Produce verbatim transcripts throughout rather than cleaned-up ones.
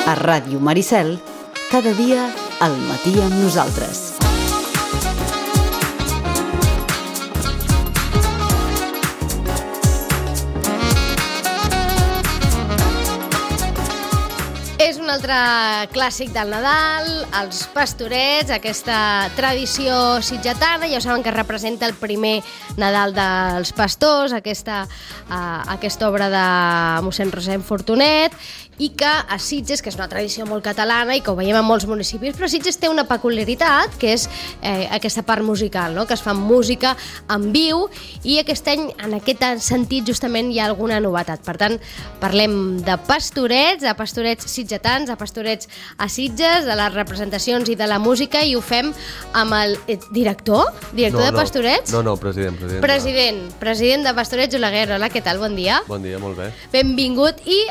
A Ràdio Maricel, cada dia al matí amb nosaltres. És un altre clàssic del Nadal, els pastorets, aquesta tradició sitgetana. Ja saben que representa el primer Nadal dels pastors, aquesta, uh, aquesta obra de mossèn Rossend Fortunet, i que a Sitges, que és una tradició molt catalana i que ho veiem en molts municipis, però Sitges té una peculiaritat, que és eh, aquesta part musical, no? Que es fa música en viu, i aquest any, en aquest sentit, justament hi ha alguna novetat. Per tant, parlem de pastorets, de pastorets sitgetans, de pastorets a Sitges, de les representacions i de la música, i ho fem amb el eh, director, director no, de pastorets? No, no, president. President, president, no. president de Pastorets Oleguer. Hola, què tal? Bon dia. Bon dia, molt bé. Benvingut. I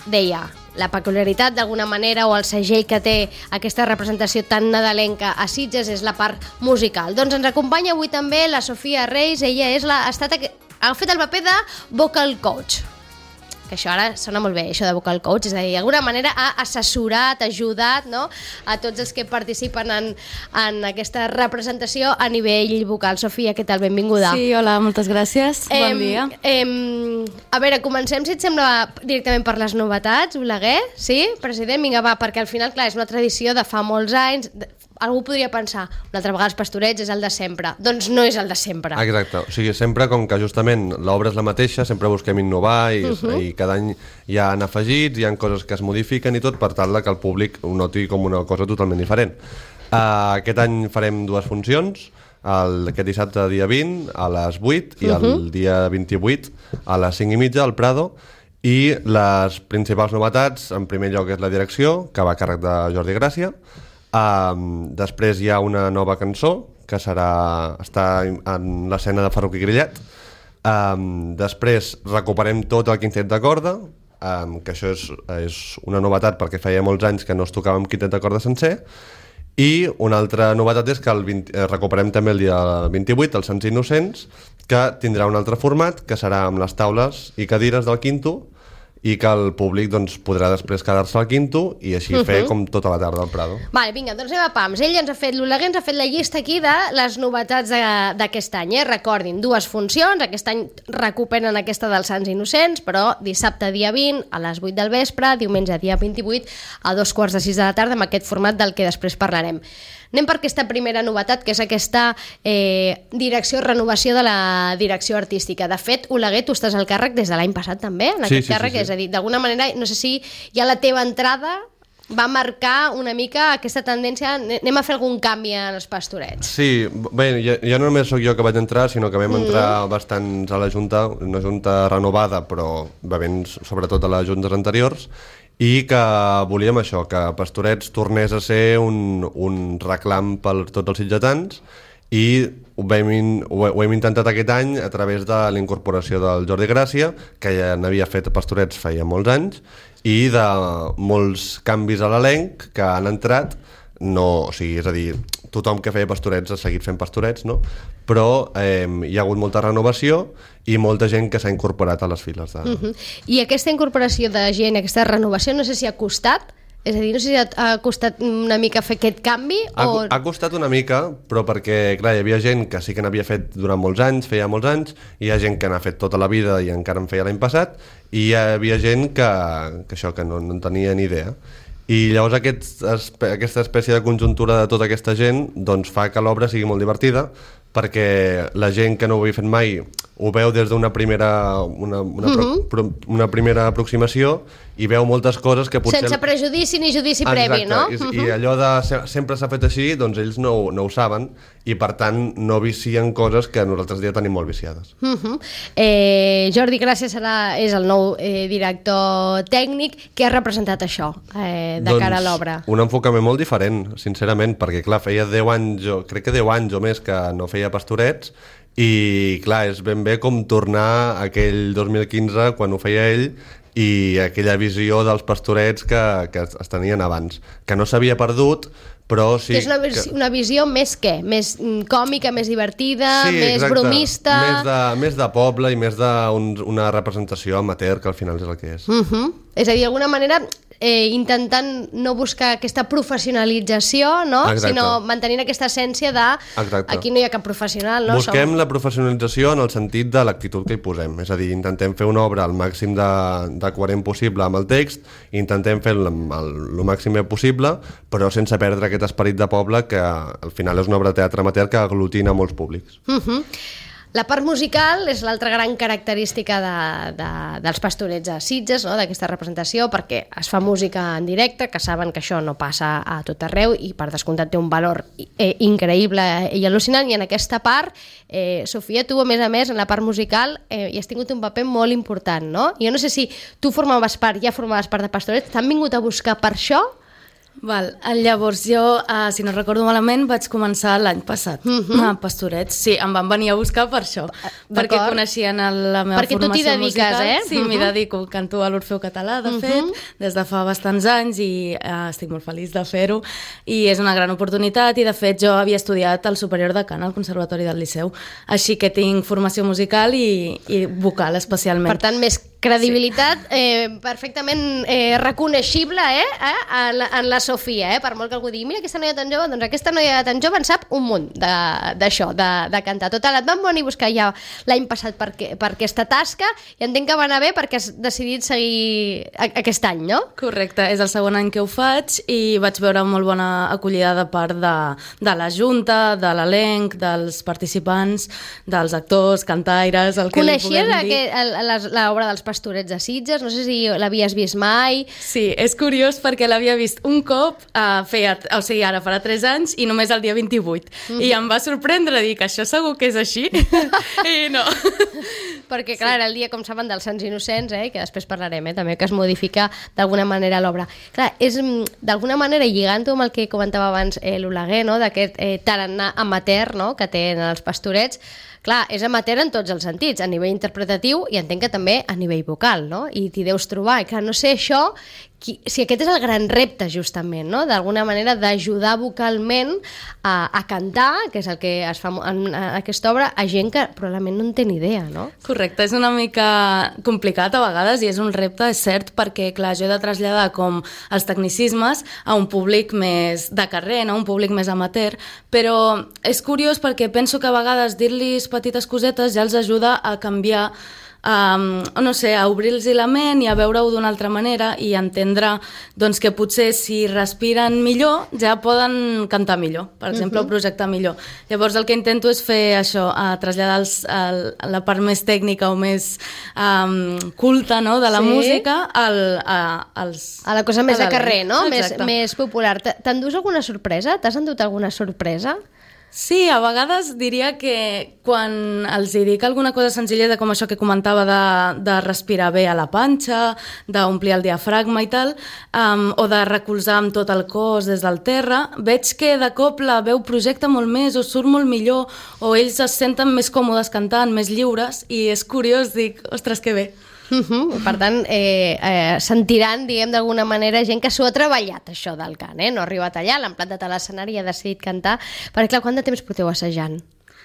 deia, la peculiaritat d'alguna manera o el segell que té aquesta representació tan nadalenca a Sitges és la part musical. Doncs ens acompanya avui també la Sofia Reis. Ella és la, ha, estat, ha fet el paper de vocal coach, que això ara sona molt bé, això de vocal coach, és a dir, d'alguna manera ha assessorat, ajudat, no?, a tots els que participen en, en aquesta representació a nivell vocal. Sofia, què tal? Benvinguda. Sí, hola, moltes gràcies. Eh, bon dia. Eh, a veure, comencem, si et sembla, directament per les novetats, Oleguer, sí? President, vinga, va, perquè al final, clar, és una tradició de fa molts anys. Algú podria pensar, una altra vegada els pastorets és el de sempre. Doncs no és el de sempre. Exacte, o sigui, sempre com que justament l'obra és la mateixa, sempre busquem innovar i, uh -huh. i cada any hi ha afegits, hi ha coses que es modifiquen i tot per tal que el públic ho noti com una cosa totalment diferent. Uh, aquest any farem dues funcions, el, aquest dissabte dia vint a les vuit i uh -huh. el dia vint-i-vuit a les cinc i mitja al Prado. I les principals novetats, en primer lloc, és la direcció, que va a càrrec de Jordi Gràcia. Um, després hi ha una nova cançó que serà, està en l'escena de Ferruc i Grillet. Um, després recuperem tot el quintet de corda, um, que això és, és una novetat perquè feia molts anys que no es tocava amb quintet de corda sencer. I una altra novetat és que el vint, eh, recuperem també el dia vint-i-vuit els Sants Innocents, que tindrà un altre format, que serà amb les taules i cadires del quinto, i que el públic doncs, podrà després quedar-se al quinto i així uh-huh. fer com tota la tarda al Prado. Vale, vinga, doncs anem a pams. Ell ens ha fet, l'Oleguer ens ha fet la llista aquí de les novetats d'aquest any. Eh? Recordin, dues funcions, aquest any recuperen aquesta dels Sants Innocents, però dissabte dia vint a les vuit del vespre, diumenge dia vint-i-vuit a dos quarts de sis de la tarda, amb aquest format del que després parlarem. Anem per aquesta primera novetat, que és aquesta eh, direcció, renovació de la direcció artística. De fet, Oleguer, tu estàs al càrrec des de l'any passat també, en sí, aquest sí, càrrec, sí, sí. és a dir, d'alguna manera, no sé si ja la teva entrada va marcar una mica aquesta tendència, anem a fer algun canvi en els pastorets. Sí, bé, ja, ja no només sóc jo que vaig entrar, sinó que vam entrar mm. bastants a la Junta, una Junta renovada, però bevent sobretot a les juntes anteriors, i que volíem això, que Pastorets tornés a ser un, un reclam per tots els sitgetans, i ho hem, ho hem intentat aquest any a través de la incorporació del Jordi Gràcia, que ja n'havia fet Pastorets feia molts anys, i de molts canvis a l'elenc que han entrat, no, o sigui, és a dir, tothom que feia Pastorets ha seguit fent Pastorets, no? Però eh, hi ha hagut molta renovació i molta gent que s'ha incorporat a les files. De... Uh-huh. I aquesta incorporació de gent, aquesta renovació, no sé si ha costat, és a dir, no sé si ha costat una mica fer aquest canvi ha, o... ha costat una mica, però perquè, clar, hi havia gent que sí que n'havia fet durant molts anys, feia molts anys, i hi ha gent que n'ha fet tota la vida i encara en feia l'any passat, i hi havia gent que, que això, que no, no en tenia ni idea. I llavors aquest, aquesta espècie de conjuntura de tota aquesta gent doncs fa que l'obra sigui molt divertida, perquè la gent que no ho havia fet mai ho veu des d'una primera una, una, uh-huh. pro, una primera aproximació i veu moltes coses que potser... Sense prejudici ni judici Exacte. previ, no? I, uh-huh. I allò de sempre s'ha fet així, doncs ells no, no ho saben i per tant no vicien coses que nosaltres ja tenim molt viciades. Uh-huh. eh, Jordi Gràcia serà, és el nou eh, director tècnic. Què ha representat això eh, de doncs, cara a l'obra? Un enfocament molt diferent, sincerament, perquè clar, feia deu anys, jo, crec que deu anys o més que no feia Pastorets, i clar, és ben bé com tornar a aquell dos mil quinze quan ho feia ell i aquella visió dels Pastorets que, que es tenien abans, que no s'havia perdut, però sí... Que és una, vis que... una visió més què? Més còmica, més divertida, sí, més exacte. bromista... Més de, més de poble i més d'una representació amateur, que al final és el que és. Uh-huh. És a dir, d'alguna manera... eh, intentant no buscar aquesta professionalització, no? Sinó mantenint aquesta essència de Exacte. Aquí no hi ha cap professional. No? Busquem Som... la professionalització en el sentit de l'actitud que hi posem, és a dir, intentem fer una obra el màxim de, de coherent possible amb el text, intentem fer el, el, el màxim possible, però sense perdre aquest esperit de poble que al final és una obra de teatre amateur que aglutina molts públics. Uh-huh. La part musical és l'altra gran característica de, de, dels Pastorets a Sitges, no? D'aquesta representació, perquè es fa música en directe, que saben que això no passa a tot arreu i per descomptat té un valor eh, increïble i al·lucinant, i en aquesta part, eh, Sofia, tu a més a més en la part musical eh, hi has tingut un paper molt important, no? Jo no sé si tu formaves part, ja formaves part de Pastorets, t'han vingut a buscar per això? Val. Llavors jo, uh, si no recordo malament, vaig començar l'any passat uh-huh. a Pastorets. Sí, em van venir a buscar per això, perquè coneixien la meva perquè formació musical. Perquè tu t'hi dediques, musical. eh? Sí, uh-huh. m'hi dedico, canto a l'Orfeu Català, de uh-huh. fet, des de fa bastants anys, i uh, estic molt feliç de fer-ho, i és una gran oportunitat, i de fet jo havia estudiat al Superior de Cant al Conservatori del Liceu, així que tinc formació musical i, i vocal especialment. Per tant, més credibilitat sí. eh, perfectament eh, reconeixible eh, eh, en, la, en la Sofia, eh, per molt que algú digui, mira aquesta noia tan jove, doncs aquesta noia tan jove en sap un munt d'això, de, de, de cantar. Total, et van venir a buscar ja l'any passat per, per aquesta tasca i entenc que va anar bé perquè has decidit seguir aquest any, no? Correcte, és el segon any que ho faig i vaig veure molt bona acollida de part de, de la Junta, de l'elenc, dels participants, dels actors, cantaires, el que li puguem dir. Coneixies l'obra dels Pastorets de Sitges? No sé si l'havies vist mai. Sí, és curiós perquè l'havia vist un cop, uh, feia, o sigui, ara farà tres anys, i només el dia vint-i-vuit. Mm-hmm. I em va sorprendre dir que això segur que és així. I no. Perquè, clar, sí. era el dia, com saben, dels Sants Innocents, eh, que després parlarem, eh, també, que es modifica d'alguna manera l'obra. Clar, és d'alguna manera, lligant-ho amb el que comentava abans eh, l'Oleguer, no?, d'aquest eh, tarannà amateur, no?, que tenen els Pastorets. Clar, és amateur en tots els sentits, a nivell interpretatiu i entenc que també a nivell vocal, no? I t'hi deus trobar. I clar, no sé això, qui, si aquest és el gran repte, justament, no? D'alguna manera d'ajudar vocalment a, a cantar, que és el que es fa en, en aquesta obra, a gent que probablement no en té ni idea, no? Correcte, és una mica complicat a vegades i és un repte, és cert, perquè, clar, jo he de traslladar com els tecnicismes a un públic més de carrer, no? Un públic més amateur, però és curiós perquè penso que a vegades dir-li petites cosetes ja els ajuda a canviar, um, no sé, a obrir-los la ment i a veure-ho d'una altra manera i entendre doncs, que potser si respiren millor ja poden cantar millor, per exemple, uh-huh. o projectar millor. Llavors el que intento és fer això, a traslladar els, el, la part més tècnica o més um, culta, no?, de la sí. música al, a, als, a la cosa més de carrer, no? Més, més popular. T'endús alguna sorpresa? T'has endut alguna sorpresa? Sí, a vegades diria que quan els dic alguna cosa senzilleta com això que comentava de, de respirar bé a la panxa, d'omplir el diafragma i tal, um, o de recolzar amb tot el cos des del terra, veig que de cop la veu projecta molt més o surt molt millor o ells es senten més còmodes cantant, més lliures, i és curiós, dic, ostres, que bé. Uh-huh. Per tant, eh, eh, sentiran, diguem, d'alguna manera, gent que s'ho ha treballat, això del cant, eh? No ha arribat allà, l'han plantat a l'escenari i ha decidit cantar. Perquè, clar, quant de temps porteu assajant?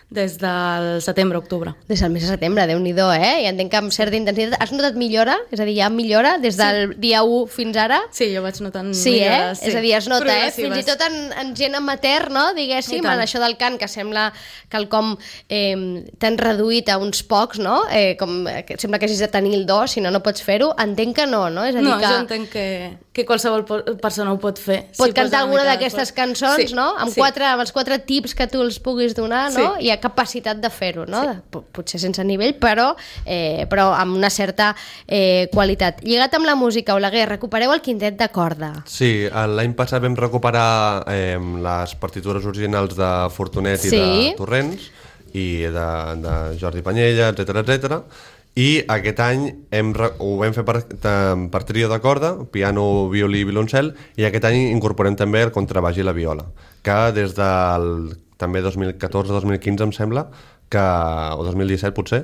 Des del setembre-octubre. Des del mes de setembre, Déu-n'hi-do, eh? I entenc que amb certa intensitat. Has notat millora? És a dir, hi ha millora des del sí. dia u fins ara? Sí, jo vaig notant sí, millores. Eh? Sí, és a dir, es nota, eh? Fins i tot en, en gent amateur, no? Diguéssim, en això del cant, que sembla quelcom eh, tan reduït a uns pocs, no? Eh, com, que sembla que hagis de tenir el do, si no, no pots fer-ho. Entenc que no, no? És a dir no, que... jo entenc que, que qualsevol persona ho pot fer. Pot si cantar alguna d'aquestes cançons, sí, no? Amb, sí. quatre, amb els quatre tips que tu els puguis donar, no? Sí. Hi ha capacitat de fer-ho, no? Sí. Potser sense nivell, però, eh, però amb una certa eh, qualitat. Lligat amb la música, Oleguer, recupereu el quintet de corda. Sí, l'any passat vam recuperar eh, les partitures originals de Fortunet i sí. de Torrents i de, de Jordi Panyella, etcètera, etcètera. I aquest any hem, ho vam fer per, per trio de corda, piano, violí i violoncel, i aquest any incorporem també el contrabaix i la viola, que des del també dos mil catorze dos mil quinze em sembla, que, o dos mil disset potser,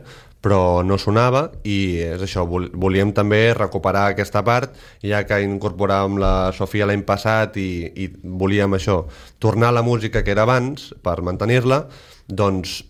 però no sonava, i és això, volíem també recuperar aquesta part, ja que incorporàvem la Sofia l'any passat i, i volíem això, tornar a la música que era abans per mantenir-la, doncs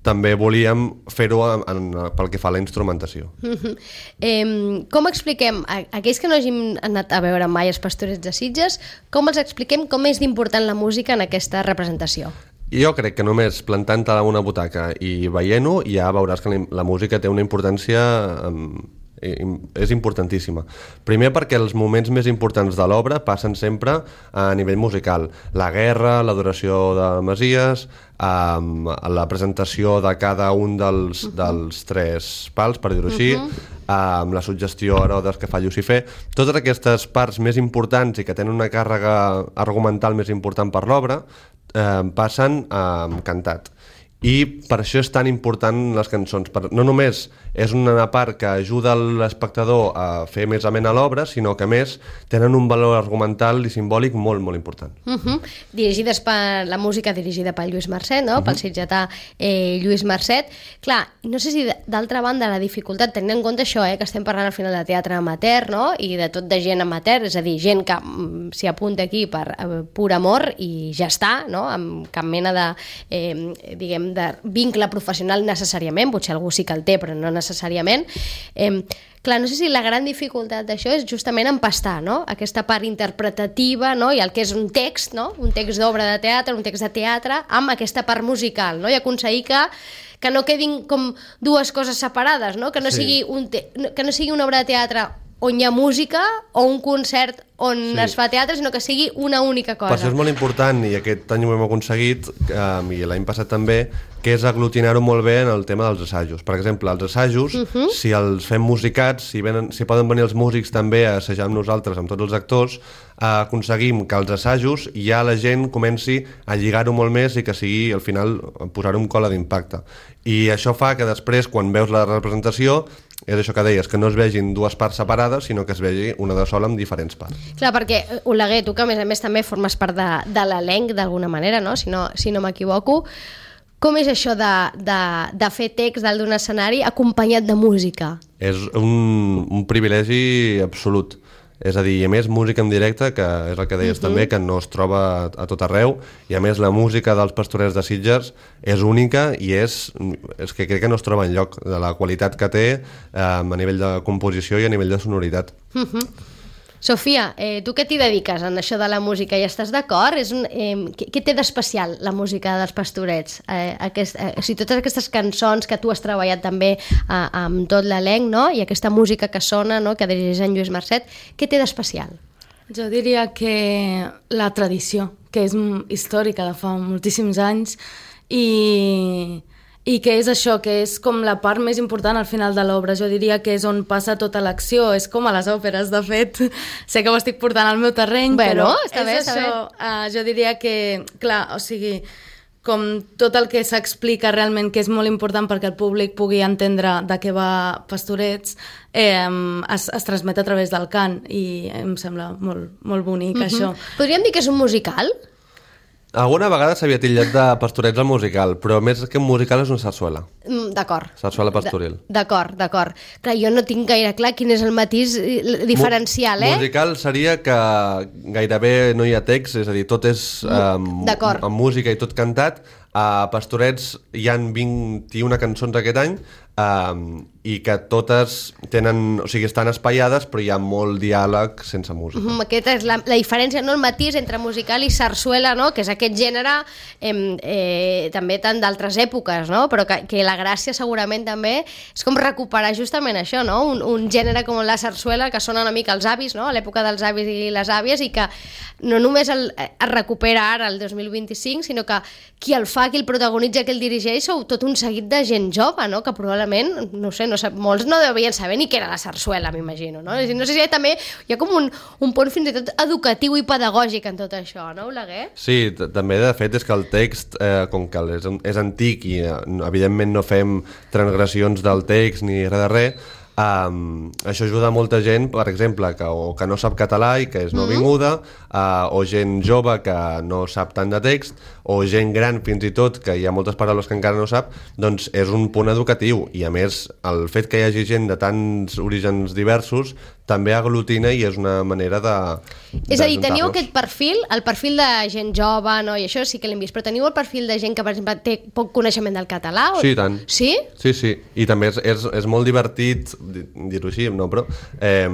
també volíem fer-ho en, en, pel que fa a la instrumentació. Uh-huh. eh, com expliquem, a, aquells que no hagin anat a veure mai els Pastorets de Sitges, com els expliquem com és d'important la música en aquesta representació? Jo crec que només plantant-te a una butaca i veient-ho ja veuràs que la, la música té una importància... Um, és importantíssima. Primer perquè els moments més importants de l'obra passen sempre a nivell musical. La guerra, l'adoració de Messies, um, la presentació de cada un dels, uh-huh. dels tres pals, per dir-ho així, uh-huh. um, la suggestió a Herodes que fa Llucifer, totes aquestes parts més importants i que tenen una càrrega argumental més important per l'obra um, passen um, cantat. I per això és tan important les cançons. Per, no només és una part que ajuda l'espectador a fer més amena a l'obra, sinó que a més tenen un valor argumental i simbòlic molt, molt important. Uh-huh. Dirigides per la música dirigida per Lluís Marcet, no? Uh-huh. Pel sitgetà eh, Lluís Marcet. Clar, no sé si d'altra banda la dificultat, tenint en compte això, eh, que estem parlant al final de teatre amateur, no? I de tot de gent amateur, és a dir, gent que mm, s'hi apunta aquí per eh, pur amor i ja està, no? Amb cap mena de, eh, diguem, de vincle professional necessàriament, potser algú sí que el té, però no necessàriament. Eh, clar, no sé si la gran dificultat d'això és justament empastar, no? Aquesta part interpretativa, no? I el que és un text, no? Un text d'obra de teatre, un text de teatre, amb aquesta part musical, no? I aconseguir que que no quedin com dues coses separades, no? Que no, sí. sigui, un te que no sigui una obra de teatre on hi ha música o un concert on sí. es fa teatre, sinó que sigui una única cosa. Per això és molt important, i aquest any ho hem aconseguit, um, i l'any passat també, que és aglutinar-ho molt bé en el tema dels assajos. Per exemple, els assajos, uh -huh. si els fem musicats, si, venen, si poden venir els músics també a assajar amb nosaltres, amb tots els actors, eh, aconseguim que els assajos ja la gent comenci a lligar-ho molt més i que sigui, al final, posar-ho un cola d'impacte. I això fa que després, quan veus la representació, és això que deies, que no es vegin dues parts separades, sinó que es vegi una de sola amb diferents parts. Clar, perquè, Oleguer, tu que a més a més també formes part de, de l'elenc d'alguna manera, no? Si no, si no m'equivoco, com és això de, de, de fer text dalt d'un escenari acompanyat de música? És un, un privilegi absolut. És a dir, a més, música en directe, que és el que deies uh-huh. també, que no es troba a tot arreu, i a més la música dels Pastorets de Sitges és única i és, és que crec que no es troba enlloc de la qualitat que té eh, a nivell de composició i a nivell de sonoritat. Uh-huh. Sofia, eh, tu què t'hi dediques en això de la música? I estàs d'acord? Eh, què, què té d'especial la música dels Pastorets? Eh, aquest, eh, o sigui, totes aquestes cançons que tu has treballat també eh, amb tot l'elenc, no? I aquesta música que sona, no? Que dirigeix en Lluís Marcet, què té d'especial? Jo diria que la tradició, que és històrica de fa moltíssims anys, i... i que és això, que és com la part més important al final de l'obra. Jo diria que és on passa tota l'acció, és com a les òperes, de fet. Sé que ho estic portant al meu terreny, bueno, però està és bé, això. està Uh, jo diria que, clar, o sigui, com tot el que s'explica realment, que és molt important perquè el públic pugui entendre de què va Pastorets, eh, es, es transmet a través del cant, i em sembla molt, molt bonic, uh-huh. això. Podríem dir que és un musical? Alguna vegada s'havia titllat de Pastorets al musical, però més que un musical és una sarsuela. Mm, d'acord. Sarsuela pastoril. D'acord, d'acord. Clar, jo no tinc gaire clar quin és el matís diferencial, eh? Musical seria que gairebé no hi ha text, és a dir, tot és um, amb música i tot cantat. A Pastorets hi han vint-i-una cançons aquest any, um, i que totes tenen, o sigui, estan espaiades, però hi ha molt diàleg sense música. Mm, aquesta és la, la diferència, no? El matís entre musical i sarsuela, no? Que és aquest gènere eh, eh, també tant d'altres èpoques, no? Però que, que la gràcia segurament també és com recuperar justament això, no? Un, un gènere com la sarsuela que sona una mica als avis, no? A l'època dels avis i les àvies, i que no només el, es recupera ara el dos mil vint-i-cinc, sinó que qui el fa, qui el protagonitza, qui el dirigeix, sou tot un seguit de gent jove, no? Que probablement, no sé, no sap, molts no devien saber ni què era la sarsuela, m'imagino, no? No sé si hi ha també hi ha com un, un punt fins i tot educatiu i pedagògic en tot això, no, Oleguer? Sí, també de fet és que el text, eh, com que és, és antic i eh, evidentment no fem transgressions del text ni res de res, Um, això ajuda molta gent, per exemple, que, o que no sap català i que és nouvinguda, uh, o gent jove que no sap tant de text, o gent gran fins i tot, que hi ha moltes paraules que encara no sap, doncs és un punt educatiu. I a més, el fet que hi hagi gent de tants orígens diversos també aglutina i és una manera de... És a dir, teniu aquest perfil, el perfil de gent jove, no? I això sí que l'hem vist, però teniu el perfil de gent que, per exemple, té poc coneixement del català? O... Sí, tant. Sí? Sí, sí. I també és, és, és molt divertit, dir-ho així, no, però... Eh,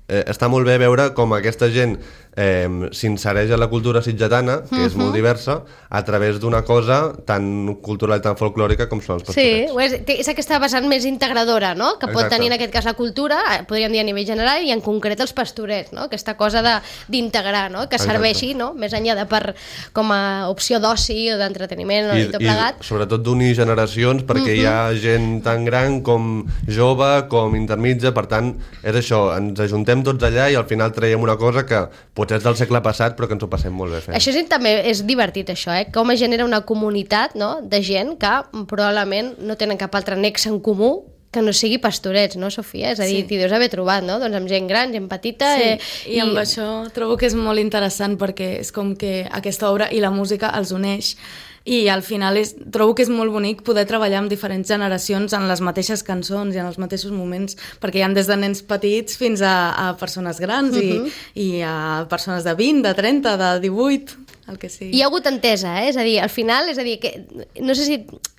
eh, està molt bé veure com aquesta gent eh, s'insereix a la cultura sitgetana, que uh-huh. és molt diversa, a través d'una cosa tan cultural i tan folclòrica com són els pastorets. Sí, és, és aquesta vessant més integradora, no? Que pot Exacte. tenir en aquest cas la cultura, podríem dir a nivell general, i en concret els pastorets, no? Aquesta cosa d'integrar, no? Que serveixi, no? Més enllà de per, com a opció d'oci o d'entreteniment i, i tot plegat. I sobretot d'unir generacions, perquè uh-huh. hi ha gent tan gran com jove, com intermitja, per tant, és això, ens ajuntem tots allà i al final traiem una cosa que potser és del segle passat, però que ens ho passem molt bé fent. Això sí, també és divertit, això, eh? Com es genera una comunitat, no?, de gent que probablement no tenen cap altre nexe en comú que no sigui pastorets, no, Sofia? És a dir, sí. t'hi deus haver trobat, no? Doncs amb gent gran, gent petita... Sí, eh, i, i amb això trobo que és molt interessant perquè és com que aquesta obra i la música els uneix i al final és, trobo que és molt bonic poder treballar amb diferents generacions en les mateixes cançons i en els mateixos moments, perquè hi ha des de nens petits fins a, a persones grans uh-huh. i, i a persones de vint, de trenta, de divuit... el que sigui. Hi ha hagut entesa, eh? És a dir, al final, és a dir, que no sé si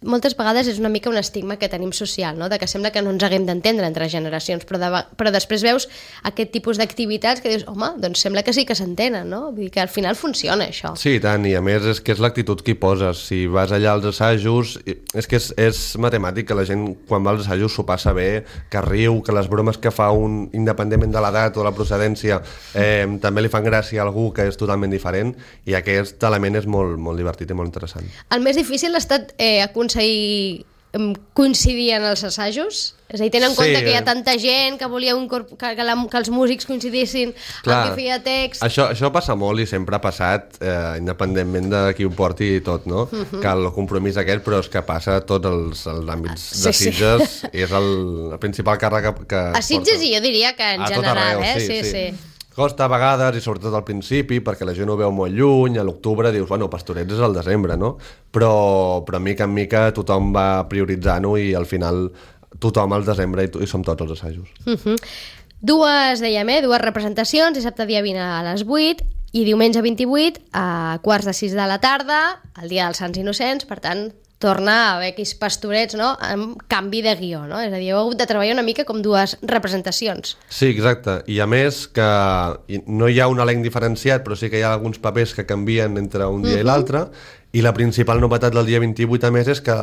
moltes vegades és una mica un estigma que tenim social, no? De que sembla que no ens haguem d'entendre entre generacions, però, de, però després veus aquest tipus d'activitats que dius, home, doncs sembla que sí que s'entenen, no? Vull dir que al final funciona això. Sí, tant, i a més és que és l'actitud que hi poses. Si vas allà als assajos, és que és, és matemàtic que la gent quan va als assajos s'ho passa bé, que riu, que les bromes que fa un, independentment de l'edat o de la procedència, eh, també li fan gràcia a algú que és totalment diferent, i aquest aquest element és molt, molt divertit i molt interessant. El més difícil ha estat eh, aconseguir coincidir en els assajos? És a dir, tenen en sí, compte que hi ha tanta gent que volia un corp... que, que, la, que els músics coincidissin clar, amb qui feia text... Això, això passa molt i sempre ha passat, eh, independentment de qui ho porti i tot, no? Uh-huh. Que el compromís aquest, però és que passa a tots els, els àmbits sí, de Sitges, sí. És el, el principal càrrec que, que a Sitges porta. I jo diria que en a general, arreu, eh? Sí, sí. sí. Costa a vegades, i sobretot al principi, perquè la gent ho veu molt lluny, a l'octubre dius, bueno, Pastorets és al desembre, no? Però, però mica en mica tothom va prioritzant-ho i al final tothom al desembre i, i som tots els assajos. Uh-huh. Dues, dèiem, eh? Dues representacions, dissabte dia vint a les vuit i diumenge vint-i-vuit a quarts de sis de la tarda, el dia dels Sants Innocents, per tant, torna a haver aquells pastorets, no?, amb canvi de guió, no? És a dir, heu hagut de treballar una mica com dues representacions. Sí, exacte. I a més que no hi ha un elenc diferenciat, però sí que hi ha alguns papers que canvien entre un dia uh-huh. i l'altre, i la principal novetat del dia vint-i-vuit, a més, és que,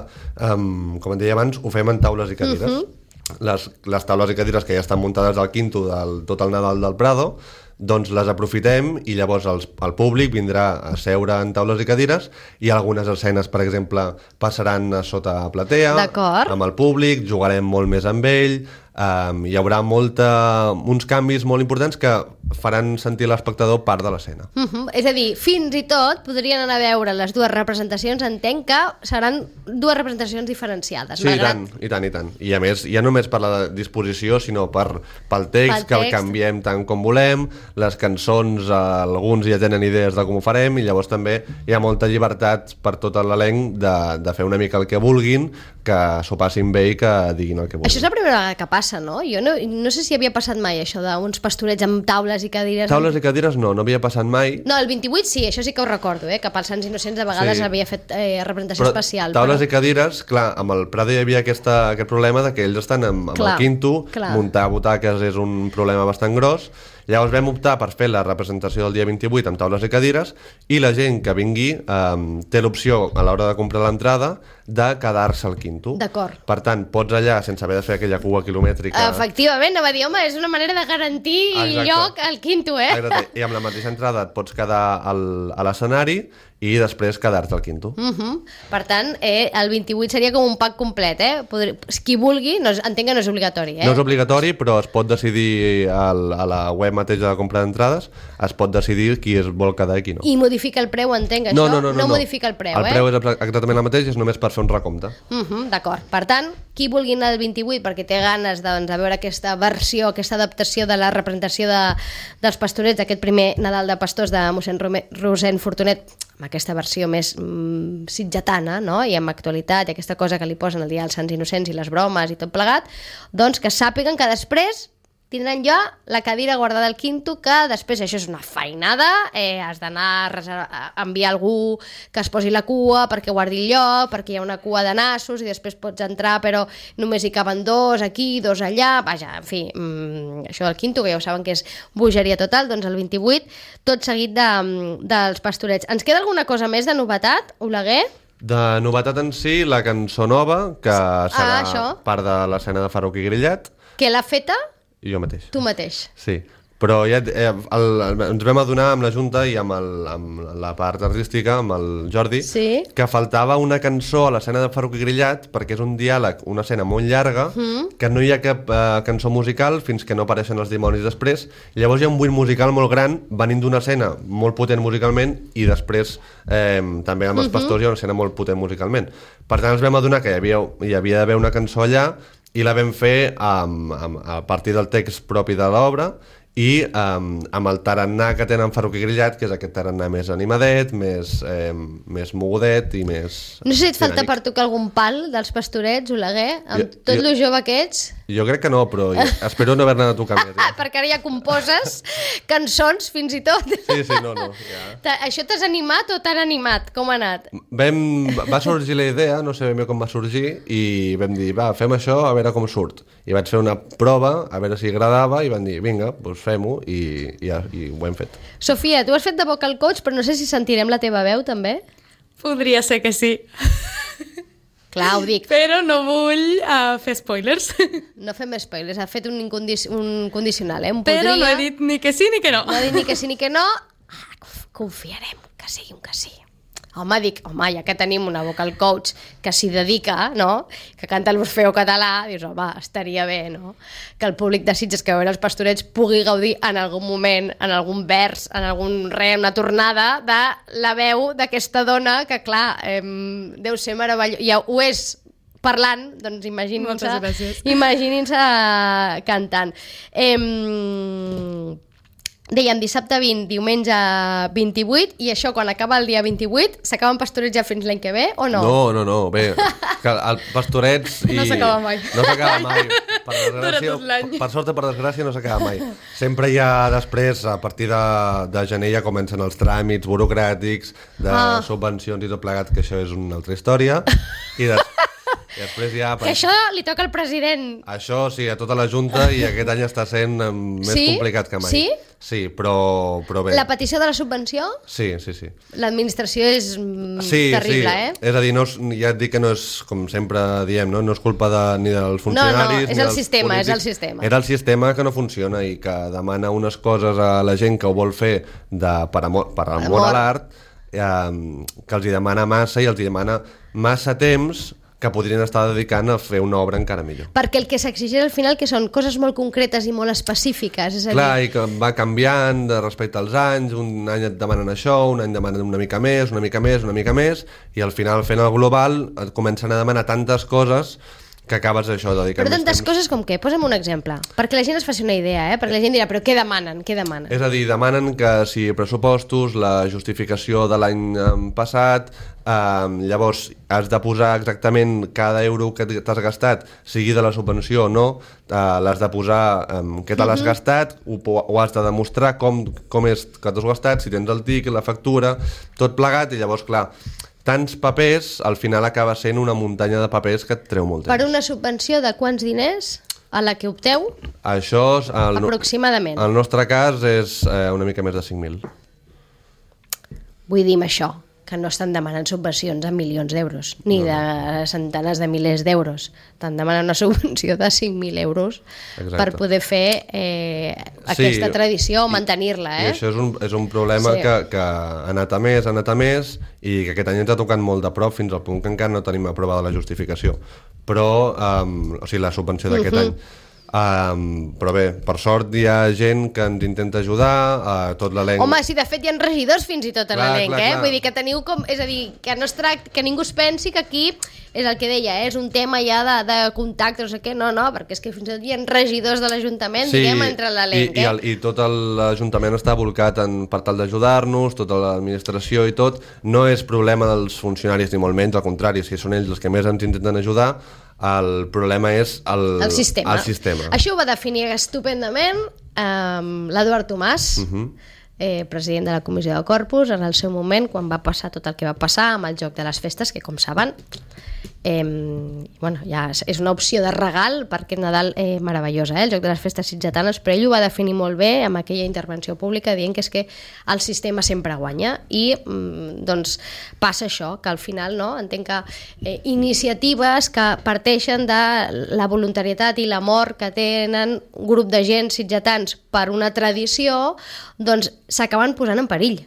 um, com et deia abans, ho fem en taules i cadires. Uh-huh. Les, les taules i cadires que ja estan muntades al quinto del tot el Nadal del Prado, doncs les aprofitem i llavors els, el públic vindrà a seure en taules i cadires i algunes escenes, per exemple, passaran a sota platea amb el públic, jugarem molt més amb ell, um, hi haurà molta, uns canvis molt importants que faran sentir l'espectador part de l'escena. Uh-huh. És a dir, fins i tot podrien anar a veure les dues representacions, entenc que seran dues representacions diferenciades. Sí, malgrat... i tant, i tant, i tant. I a més, ja només per la disposició, sinó per, pel text, pel text, que el canviem tant com volem, les cançons, alguns ja tenen idees de com ho farem, i llavors també hi ha molta llibertat per tot l'elenc de, de fer una mica el que vulguin, que s'ho passin bé i que diguin el que vulguin. Això és la primera vegada que passa, no? Jo no, no sé si havia passat mai això d'uns pastorets amb taules i cadires. Taules i cadires no, no havia passat mai. No, el vint-i-vuit sí, això sí que ho recordo, eh? Que pels Sants Innocents a vegades sí. havia fet eh, representació però especial. Taules però... i cadires, clar, amb el Prado hi havia aquesta, aquest problema de que ells estan amb, amb clar, el quinto, clar. Muntar butaques és un problema bastant gros. Llavors vam optar per fer la representació del dia vint-i-vuit amb taules i cadires i la gent que vingui eh, té l'opció a l'hora de comprar l'entrada de quedar-se al quinto. D'acord. Per tant, pots allà, sense haver de fer aquella cua quilomètrica... Efectivament, no va dir, home, és una manera de garantir Exacte. Lloc al quinto, eh? Exacte. I amb la mateixa entrada et pots quedar al, a l'escenari i després quedar-te al quinto. Uh-huh. Per tant, eh, el vint-i-vuit seria com un pack complet, eh? Podri... Qui vulgui, no, entenc que no és obligatori, eh? No és obligatori, però es pot decidir al, a la web mateixa de compra d'entrades, es pot decidir qui es vol quedar i qui no. I modifica el preu, entenc, això? No, no, no. no, no, no. modifica el preu, el eh? El preu és exactament el mateix, és només per fer un recompte. Uh-huh, d'acord. Per tant, qui vulgui anar al vint-i-vuit perquè té ganes doncs, de veure aquesta versió, aquesta adaptació de la representació de, dels Pastorets, aquest primer Nadal de Pastors de mossèn Rosent Fortunet, amb aquesta versió més mm, sitgetana, no? I amb actualitat, i aquesta cosa que li posen el dia dels Sants Innocents i les bromes i tot plegat, doncs que sàpiguen que després tindran ja la cadira guardada al quinto, que després això és una feinada, eh, has d'anar a enviar algú que es posi la cua perquè guardi el lloc, perquè hi ha una cua de nassos i després pots entrar però només hi caben dos aquí, dos allà, vaja, en fi, mmm, això del quinto, que ja ho saben que és bogeria total, doncs el vint-i-vuit, tot seguit de, dels Pastorets. Ens queda alguna cosa més de novetat, Oleguer? De novetat en si, la cançó nova, que serà ah, part de l'escena de Farruc i Grillet. Que l'ha feta? Jo mateix. Tu mateix. Sí, però ja eh, el, el, ens vam adonar amb la Junta i amb, el, amb la part artística, amb el Jordi, sí. que faltava una cançó a l'escena de Farruc i Grillet, perquè és un diàleg, una escena molt llarga, mm. que no hi ha cap eh, cançó musical fins que no apareixen els dimonis després. Llavors hi ha un buit musical molt gran, venint d'una escena molt potent musicalment, i després eh, també amb els mm-hmm. Pastors hi ha una escena molt potent musicalment. Per tant, ens vam adonar que hi havia, hi havia d'haver una cançó allà, i la vam fer um, um, a partir del text propi de l'obra i um, amb el tarannà que tenen Farruc i Grillet, que és aquest tarannà més animadet, més, eh, més mogudet i més... No sé si et falta per tocar algun pal dels Pastorets, Oleguer, amb jo, tot jo, lo jove que ets. Jo crec que no, però jo, espero no haver-ne de tocar més. Ja. Perquè ara ja composes cançons fins i tot. Sí, sí, no, no. Ja. Això t'has animat o t'han animat? Com ha anat? Vam, va sorgir la idea, no sé ben bé com va sorgir, i vam dir, va, fem això, a veure com surt. I vaig fer una prova, a veure si agradava, i van dir, vinga, doncs fem-ho, i, i, i ho hem fet. Sofia, tu has fet de vocal coach, però no sé si sentirem la teva veu, també? Podria ser que sí. Clar, ho dic. Però no vull uh, fer spoilers. No fem spoilers, ha fet un, incondic un condicional, eh? Un Però podria... no he dit ni que sí ni que no. No he dit ni que sí ni que no. Ah, confiarem que sigui un que sí. Home, dic, home, ja que tenim una vocal coach que s'hi dedica, no?, que canta l'Orfeo català, dius, home, estaria bé, no?, que el públic de Sitges que veure els Pastorets pugui gaudir en algun moment, en algun vers, en algun re, una tornada de la veu d'aquesta dona que, clar, eh, deu ser meravellós. Ja ho és parlant, doncs imaginin-se imaginin-se cantant. Eh... Dèiem dissabte vint, diumenge vint-i-vuit, i això quan acaba el dia vint-i-vuit s'acaben Pastorets ja fins l'any que ve o no? No, no, no, bé, que el Pastorets i... No s'acaba mai. No s'acaba mai. Per desgràcia, per sort o per desgràcia no s'acaba mai. Sempre hi ha després, a partir de, de gener ja comencen els tràmits burocràtics de ah. subvencions i tot plegat, que això és una altra història, i després I després ja... Que això li toca al president. Això sí, a tota la Junta, i aquest any està sent més sí? complicat que mai. Sí? Sí, però, però bé. La petició de la subvenció? Sí, sí, sí. L'administració és sí, terrible, sí. eh? És a dir, no és, ja et dic que no és, com sempre diem, no, no és culpa de, ni dels funcionaris... No, no, és el sistema, polítics. és el sistema. Era el sistema que no funciona i que demana unes coses a la gent que ho vol fer de, per, amor, per amor a l'art, eh, que els hi demana massa i els hi demana massa temps que podrien estar dedicant a fer una obra encara millor. Perquè el que s'exigeix al final que són coses molt concretes i molt específiques. És a dir... Clar, i que va canviant de respecte als anys, un any et demanen això, un any demanen una mica més, una mica més, una mica més, i al final fent el global et comencen a demanar tantes coses que acabes això dedicant Però tantes temps. coses com què? Posa'm un exemple, perquè la gent es faci una idea, eh? Perquè la gent dirà, però què demanen? Què demanen? És a dir, demanen que si pressupostos, la justificació de l'any passat, eh, llavors has de posar exactament cada euro que t'has gastat, sigui de la subvenció o no, eh, l'has de posar eh, què te l'has uh-huh. gastat, ho, ho has de demostrar com, com és que t'has gastat, si tens el tiquet, la factura, tot plegat, i llavors, clar, tants papers, al final acaba sent una muntanya de papers que et treu molt temps. Per una subvenció de quants diners a la que opteu? Això és... El, aproximadament. El nostre cas és eh, una mica més de cinc mil. Vull dir amb això, que no estan demanant subvencions a milions d'euros, ni no. de centenars de milers d'euros. Estan demanant una subvenció de cinc mil euros Exacte. Per poder fer eh, aquesta sí, tradició o mantenir-la. Eh? I això és un, és un problema sí. que, que ha anat a més, ha anat a més, i que aquest any ens ha tocat molt de prop, fins al punt que encara no tenim aprovada la justificació. Però, um, o sigui, la subvenció d'aquest uh-huh. any. Um, però bé, per sort hi ha gent que ens intenta ajudar, uh, tot l'elenc... Home, si de fet hi ha regidors fins i tot a Clar, l'elenc, clar, eh? clar. Vull dir que teniu com... És a dir, que no es tracta, que ningú es pensi que aquí és el que deia, eh? És un tema ja de, de contacte, no sé què, no, no, perquè és que fins i tot hi ha regidors de l'Ajuntament, sí, diguem, entre l'elenc, i, eh? i, el, i tot l'Ajuntament està volcat en, per tal d'ajudar-nos, tota l'administració i tot. No és problema dels funcionaris ni molt menys, al contrari, si són ells els que més ens intenten ajudar, el problema és el, el sistema. el sistema. Això ho va definir estupendament um, l'Eduard Tomàs, uh -huh. eh, president de la Comissió de Corpus, en el seu moment, quan va passar tot el que va passar amb el joc de les festes, que com saben, eh, bueno, ja és una opció de regal per aquest Nadal eh, meravellosa, eh, el joc de les festes sitgetanes, però ell ho va definir molt bé amb aquella intervenció pública dient que és que el sistema sempre guanya i mm, doncs passa això, que al final no, entenc que eh, iniciatives que parteixen de la voluntarietat i l'amor que tenen un grup de gent sitgetans per una tradició, doncs s'acaben posant en perill.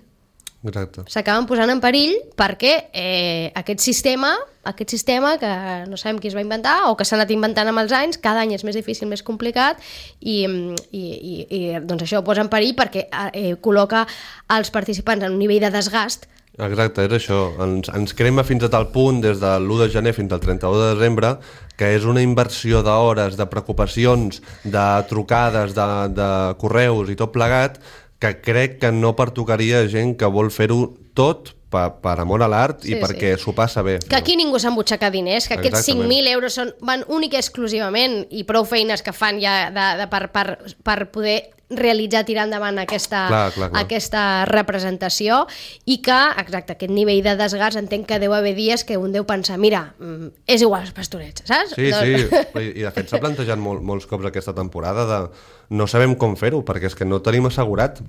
Exacte. S'acaben posant en perill perquè eh, aquest sistema, aquest sistema que no sabem qui es va inventar o que s'ha anat inventant amb els anys, cada any és més difícil, més complicat i, i, i, i doncs això ho posa en perill perquè eh, col·loca els participants en un nivell de desgast. Exacte, és això. Ens, ens crema fins a tal punt, des de l'u de gener fins al trenta-u de desembre, que és una inversió d'hores, de preocupacions, de trucades, de, de correus i tot plegat, que crec que no pertocaria gent que vol fer-ho tot per, per amor a l'art sí, i perquè s'ho sí. passa bé. Que aquí ningú s'embutxaca diners, que aquests cinc mil euros són, van únic i exclusivament i prou feines que fan ja de, de, per, per, per poder realitzar, tirar endavant aquesta, clar, clar, clar. aquesta representació i que, exacte, aquest nivell de desgast entenc que deu haver dies que un deu pensar mira, és igual els pastorets, saps? Sí, sí, i de fet s'ha plantejat molt, molts cops aquesta temporada de no sabem com fer-ho perquè és que no tenim assegurat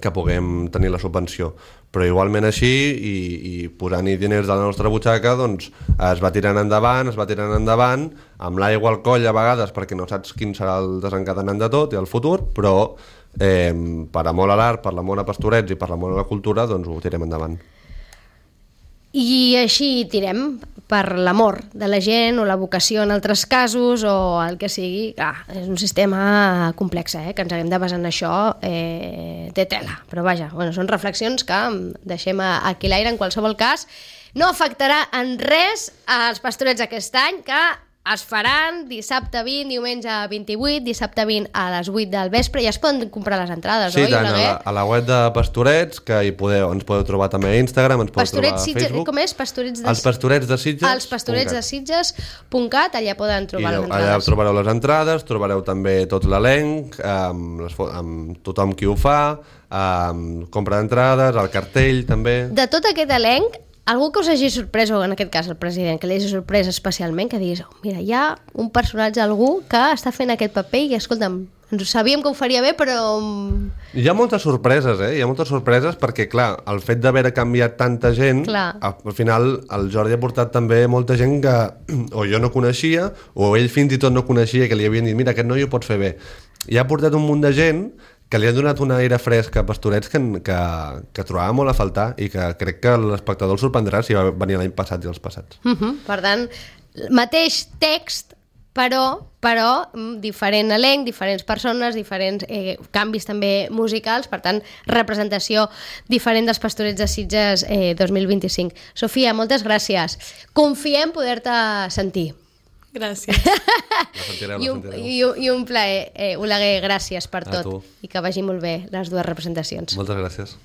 que puguem tenir la subvenció, però igualment així i, i posant-hi diners de la nostra butxaca doncs es va tirant endavant, es va tirant endavant amb l'aigua al coll a vegades perquè no saps quin serà el desencadenant de tot i el futur, però eh, per amor a l'art, per l'amor a Pastorets i per l'amor a la cultura doncs ho tirem endavant. I així tirem per l'amor de la gent o la vocació en altres casos o el que sigui. Clar, és un sistema complex, eh? Que ens haguem de basar en això, eh, té tela. Però vaja, bueno, són reflexions que deixem aquí l'aire. En qualsevol cas, no afectarà en res als Pastorets aquest any, que es faran dissabte vint, diumenge vint-i-vuit, dissabte vint a les vuit del vespre, i ja es poden comprar les entrades, sí, oi? Sí, tant, a la, a la web de Pastorets, que hi podeu, ens podeu trobar també a Instagram, ens podeu Pastorets, trobar a Sitges, Facebook. Com és? Pastorets de... Els Pastorets de Sitges. Els Pastorets de Sitges punt cat, allà poden trobar I les entrades. allà trobareu les entrades, trobareu també tot l'elenc, amb, les, amb tothom qui ho fa, amb compra d'entrades, el cartell també. De tot aquest elenc, algú que us hagi sorprès, o en aquest cas el president, que li hagi sorprès especialment, que diguis, oh, mira, hi ha un personatge, algú que està fent aquest paper i, escolta'm, ens ho sabíem que ho faria bé, però... Hi ha moltes sorpreses, eh? Hi ha moltes sorpreses perquè, clar, el fet d'haver canviat tanta gent, clar. Al final el Jordi ha portat també molta gent que o jo no coneixia, o ell fins i tot no coneixia, que li havien dit, mira, aquest noi ho pot fer bé. I ha portat un munt de gent que li han donat un aire fresc a Pastorets que, que, que trobava molt a faltar i que crec que l'espectador el sorprendrà si va venir l'any passat i els passats. Uh -huh. Per tant, mateix text, però, però diferent elenc, diferents persones, diferents eh, canvis també musicals, per tant, representació diferent dels Pastorets de Sitges eh, dos mil vint-i-cinc. Sofia, moltes gràcies. Confiem poder-te sentir. Gràcies. La sentireu, la I, un, sentireu. i, un, I un plaer. Eh, Oleguer, gràcies per A tot. tu. I que vagi molt bé les dues representacions. Moltes gràcies.